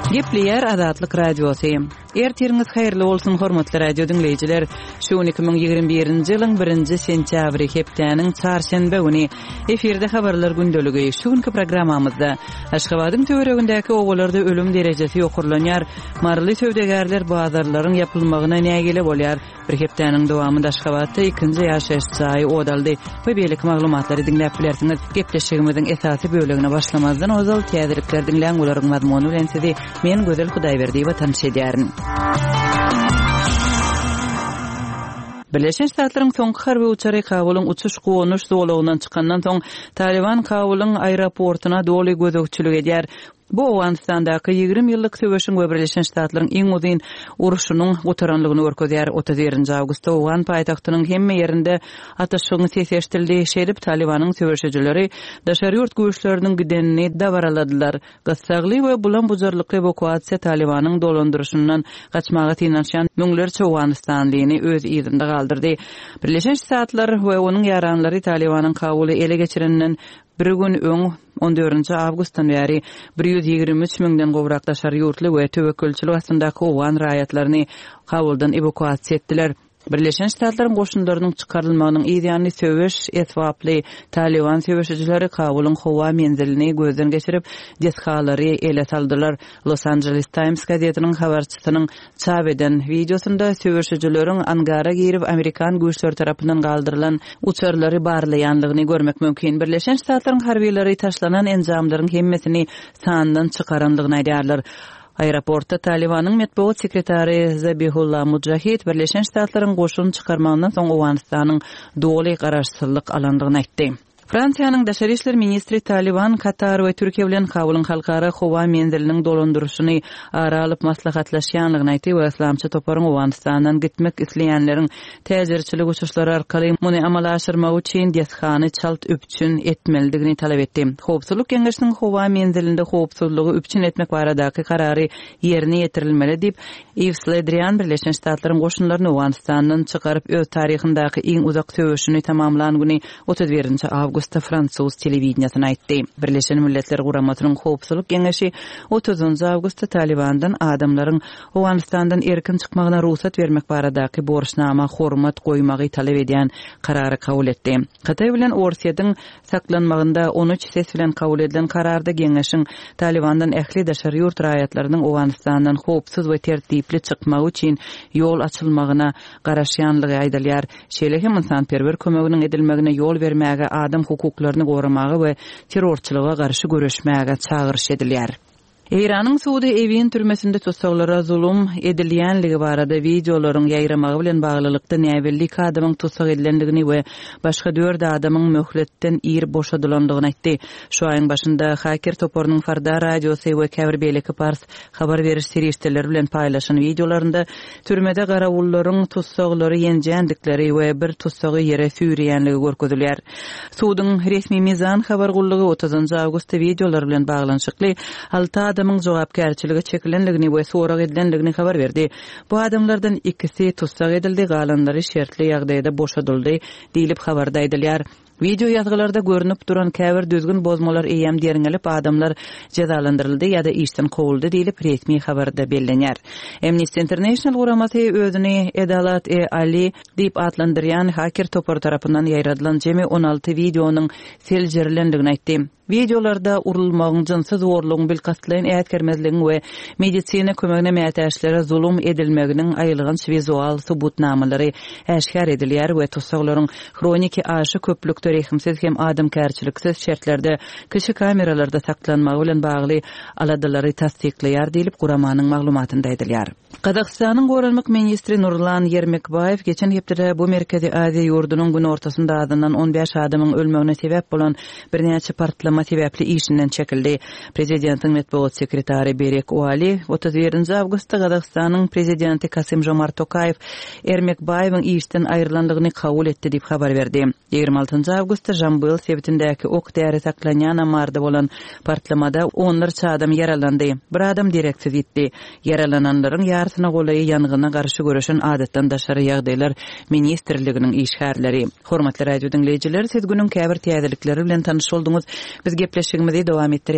Gepleýär Azatlyk Radiosy. Ertiriňiz haýyrly bolsun, hormatly radio diňleýjiler. Şu gün 2021-nji ýylyň birinji sentýabry, hepdäniň çarşenbe güni. Efirde habarlar gündeligi. Şu günki programmamyzda Aşgabadyň töweregindäki obalarda ölüm derejesi ýokarlanýar, maryly söwdagärler bazarlaryň ýapylmagyna nägile bolýar, Bir hepdäniň dowamynda Aşgabatda ikinji ýaşaýyş jaýy ot aldy we beýleki maglumatlary diňläp bilersiňiz. Gepleşigimiziň esasy bölegine başlamazdan ozal täzelikleri diňläň, olaryň mazmuny bilen sizi men Gözel Hudaýberdiýewa tanyş edýärin. Birleşen Ştatlaryň soňky harby uçary Kabulyň uçuş-gonuş zolagyndan çykandan soň, Talyban Kabulyň aeroportuna doly gözegçilik edýär. Bu Owganystandaky 20 ýyllyk söweşiň we Birleşen Ştatlaryň iň uzyn urşunyň gutaranlygyny görkezýär. 31-nji awgustda owgan paýtagtynyň hemme ýerinde atyşygyň sesi eşidildi. Şeýdip, Talybanyň söweşijileri daşary ýurt güýçleriniň gidenini dabaraladylar. Gyssagly we bulam-bujarlykly ewakuasiýa Talybanyň dolandyryşyndan gaçmaga synanyşýan müňlerçe owganystanlyny öz yzynda galdyrdy. Birleşen Ştatlar we onuň ýaranlary Talybanyň Kabuly ele geçireninden Bir gün öň, on dördünji awgustdan bäri 123 müňden gowrak daşary ýurtly we töwekgelçilik astyndaky owgan raýatlaryny Kabuldan ewakuasiýa etdiler. Birleşen Ştatlaryň goşunlarynyň çykarylmagynyň yz ýany söweş esbaply Talyban söweşijileri Kabulyň howa menzilini gözden geçirip, desgalary ele saldylar. Los Angeles Times gazetiniň habarçysynyň çap eden wideosynda söweşijileriň angara girip, amerikan güýçleri tarapyndan galdyrylan uçarlary barlaýanlygyny görmek mümkin. Birleşen Ştatlaryň harbylary taşlanan enjamlaryň hemmesini sandan çykaranlygyny aýdýarlar. Aeroportda Talybanyň metbugat sekretary Zabihulla Mujahid Birleşen Ştatlaryň goşun çykarmagyndan soň Owganystanyň doly garaşsyzlyk alandygyny aýtdy. Fransiýanyň daşary işler ministri Talyban, Katar we Türkiýe bilen Kabulyň halkara howa menziliniň dolandyryşyny ara alyp maslahatlaşýanlygyny aýtdy we yslamçy toparyň Owganystandan gitmek isleýänleriň täjirçilik uçuşlary arkaly muny amala aşyrmagy üçin desgany çalt üpjün etmelidigini talap etdi. Howpsuzlyk Geňeşiniň howa menzilinde howpsuzlygy üpjün etmek baradaky karary ýerine ýetirilmeli diýip, Iws Le Drian Birleşen Ştatlaryň goşunlaryny Owganystandan çykaryp, öz taryhyndaky iň uzak söweşini tamamlan güni 31-nji awgustda fransuz telewideniýesine aýtdy. Birleşen Milletler Guramasynyň Howpsuzlyk Geňeşi otuzynjy awgustda Talybandan adamlaryň Owganystandan erkin çykmagyna rugsat bermek baradaky borçnama hormat goýmagy talap edýän karary kabul etdi. Hytaý bilen Orsýetiň saklanmagynda 13 ses bilen kabul edilen kararda geňeşiň Talybandan ähli daşary ýurt raýatlarynyň Owganystandan howpsuz we tertipli çykmagy üçin ýol açylmagyna garaşýanlygy aýdylýar. Şeýle hem ynsanperwer kömeginiň edilmegine ýol bermäge, adam hukuklaryny goramaga we terrorçylyga garşy göreşmäge çagyryş edilýär. Eýranyň sudy Ewin türmesinde tussaglara zulum edilýänligi barada wideolaryň ýaýramagy bilen baglylykda näbelli iki adamyň tussag edilendigini we başga dört adamyň möhletden ir boşadylandygyny aýtdy. Şu aýyň başynda haker toparynyň Farda radiosy we käbir beýleki pars habar beriş serişdeleri bilen paýlaşan wideolarynda türmede garawullaryň tussaglary ýenjändikleri we bir tussagy ýere süýreýänligi görkezilýär. Suduň resmi Mizan habar gullugy otuzynjy awgustda wideolar bilen baglanyşykly alty adamyň jogapkärçilige çekilendigini we sorag edilendigini habar berdi. Bu adamlardan ikisi tussag edildi, galanlary şertli ýagdaýda boşadyldy diýlip, habarda aýdylýar. Wideo ýazgylarda görnüp duran käbir düzgün bozmalar eýýäm derňelip, adamlar jezalandyryldy ýa-da işden kowuldy diýlip, resmi habarda bellenýär. Amnesty International guramasy özüni Edalat-e Ali diýip atlandyrýan haker topary tarapyndan ýaýradylan jemi 16 wideonyň seljerilendigini aýtdy. Wideolarda urulmagyň, jynsy zorlugyň, bilkastlaýyn äsgermezligiň we medisina kömegine mätäçlere zulum edilmeginiň aýylganç wizual subutnamalary äşgär edilýär we tussaglaryň hroniki aşa köplükde rehimsiz hem adamkärçiliksiz şertlerde kiçi kameralarda saklanmagy bilen bagly aladalary tassyklaýar diýlip, guramanyň maglumatynda aýdylýar. Gazagystanyň goranmak ministri Nurlan Ýermekbaýew geçen hepdede bu Merkezi Aziýa ýurdunyň günortasynda azyndan 15 adamyň ölmegine sebäp bolan birnäçe partlama sebäpli işinden çekildi. Prezidentiň metbugat sekretary Berek Uali 31-nji awgustda Gazagystanyň prezidenti Kasym-Žomart Tokaýew Ermekbaýewiň işden aýrylandygyny kabul etdi diýip habar berdi. 26-njy awgustda Žambyl sebitindäki ok-däri saklanýan ammarda bolan partlamada onlarça adam ýaralandy, bir adam dereksiz ýitdi. Ýaralananlaryň ýarysyna golaýy ýangyna garşy göreşen Adatdan daşary ýagdaýlar ministrliginiň işgärleri. Hormatly radio diňleýjiler, siz günüň käbir täzelikleri bilen tanyş bolduňyz. Biz gepleşigimizi dowam etdirýäris.